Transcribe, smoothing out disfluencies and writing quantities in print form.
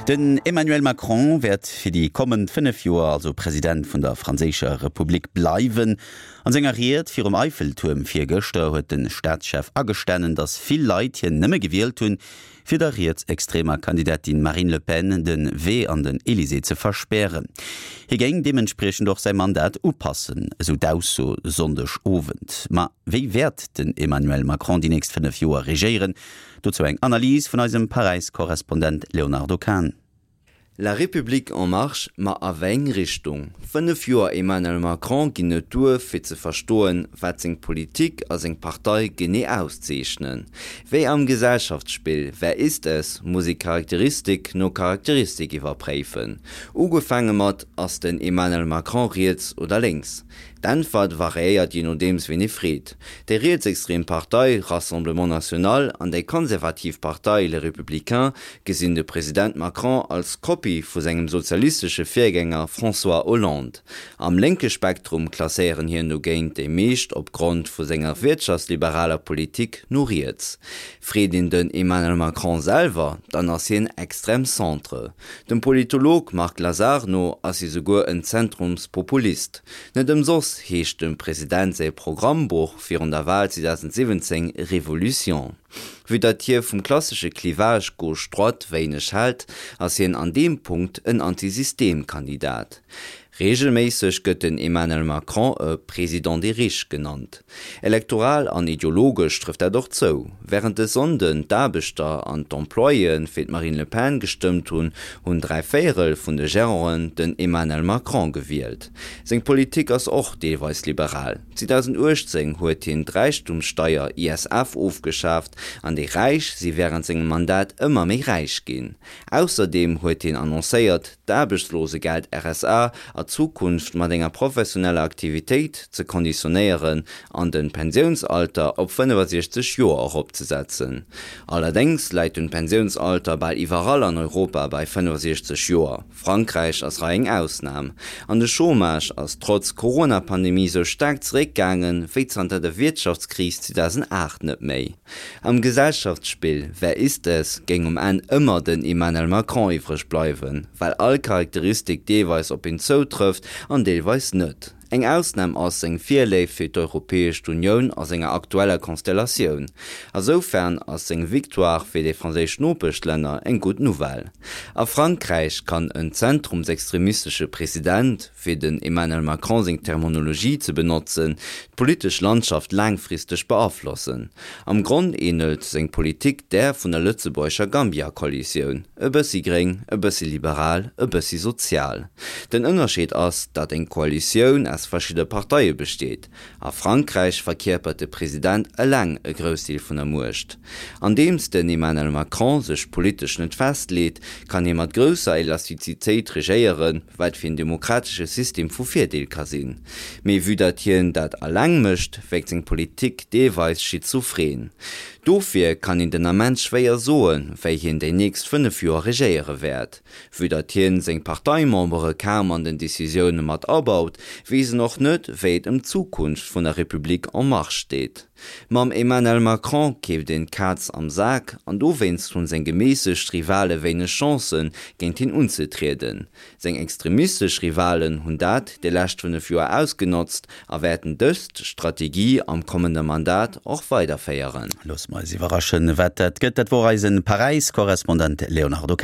Den Emmanuel Macron wäert fir déi kommend 5 Joer also President vun der franséischer Republik bleiwen. An senger Ried virum Eiffeltuerm virgëschter huet de Staatschef agestanen, datt vill Leit hien nëmme gewielt hunn, fir der rietsextremer Kandidatin Marine Le Pen de Wee an den Elysée ze verspären. Hie géing deementspriechend och säi Mandat upassen, esou d'Ausso Sonndeg Owend. Ma wéi wäert den Emmanuel Macron déi nächst 5 Joer regéieren? Dozou eng Analys vun eisem Paräis-Korrespondent Léonardo Kahn. La République en marche, ma a wéi eng Richtung? 5 Joer Emmanuel Macron ginn net duer, fir ze verstoen, wat seng Politik a seng Partei genee auszeechnen. Wéi am Gesellschaftsspill Wer ist es? muss ee Charakteristik no Charakteristik iwwerpréifen. Ugefaange mat, Ass den Emmanuel Macron riets oder lénks? D'Äntwert variéiert jee nodeems ween ee freet. Déi rietsextrem Partei Rassemblement National an déi konservativ Partei Les Républicains gesinn de President Macron als Kopie vu sengem sozialistesche Virgänger François Hollande. Am lénke Spektrum klasséieren hien dogéint déi meescht opgrond vu senger wirtschaftsliberaler Politik no riets. Freet een den Emmanuel Macron selwer, dann ass hien extrême centre. Dem Politolog Marc Lazar no ass hie souguer en Zentrumspopulist. Net ëmsoss heescht dem President säi Programmbuch virun der Wal 2017 Révolution. Vue datt hie vum klassesche Clivage gauche-droite wéineg hält, ass hien an deem Punkt en Anti-System-Kandidat. Reegelméisseg gëtt den Emmanuel Macron e Président des riches genannt. Elektoral an ideologesch trëfft dat och zou. Wärend e Sonnden d'Aarbechter an d'Employéë fir d'Marine Le Pen gestëmmt hunn, hunn dräivéierel vun de Geranten den Emmanuel Macron gewielt. Seng Politik ass och deelweis liberal. 2018 huet hien d'Räichtumssteier, ISF, ofgeschaaft an déi Räich si wärend sengem Mandat ëmmer méi räich ginn. Ausserdeem huet hien annoncéiert, d'Aarbechtslosegeld, RSA, a Zukunft mat enger professioneller Aktivitéit ze konditionéieren an de Pensiounsalter op 65 Joer eropzesetzen. Allerdéngs läit den Pensiounsalter bal iwwerall an Europa bei 65 Joer, Frankräich ass hei eng Ausnam. An de Chômage ass trotz Corona-Pandemie sou staark zeréckgaangen, wéi zanter der Wiertschaftskris 2008 net méi. Am Gesellschaftsspill Wer ist es? géing um Enn ëmmer den Emmanuel Macron iwwreg bleiwen, well all Charakteristik deelweis op hien zoutrëfft an deelweis net. Eng Ausnam ass seng Virléift fir d'Europäesch Unioun a senger aktueller Konstellatioun. Asoufern ass seng Victoire fir déi franséisch Nopeschlänner eng gutt Nouvelle. A Frankräich kann en zentrumsextremistesche President, fir den Emmanuel Macron seng Termonologie ze benotzen, d'politesch Landschaft laangfristeg beaflossen. Am Gronn ähnelt seng Politik där vun der lëtzebuergescher Gambia-Koalitioun, e bëssi gréng, e bëssi liberal, e bëssi sozial. Den Ënnerscheed ass, datt eng Koalitioun aus verschidde Parteie besteet. A Frankräich verkierpert de President eleng e Groussdeel vun der Muecht. Andeems den Emmanuel Macron sech politesch net festleet, kann hie mat grousser Elastizitéit regéieren, wat fir en demokratesche System vu Virdeel ka sinn. Mee vue datt hien dat eleng mécht, wierkt seng Politik deelweis schizophren. Dofir kann een den Ament schwéier soen, wéi hien déi nächst 5 Joer regéiere wäert. Vue datt hien seng Parteimembere kaum an den Decisioune mat abaut, weess en och net, wéi et ëm d'Zukunft vun der République en marche steet. Mam Emmanuel Macron keeft een d'Kaz am Sak an dowéinst hunn seng geméissegt Rivale wéineg Chancen, géint hien unzetrieden. Seng extremistesch Rivalen hunn dat déi lescht 5 Joer ausgenotzt a wäerten dëst Strategie am kommende Mandat och weiderféieren. Loosse mer eis iwwerraschen, wat dat gëtt. Dat wor eisen Paräis-Korrespondent Léonardo Kahn.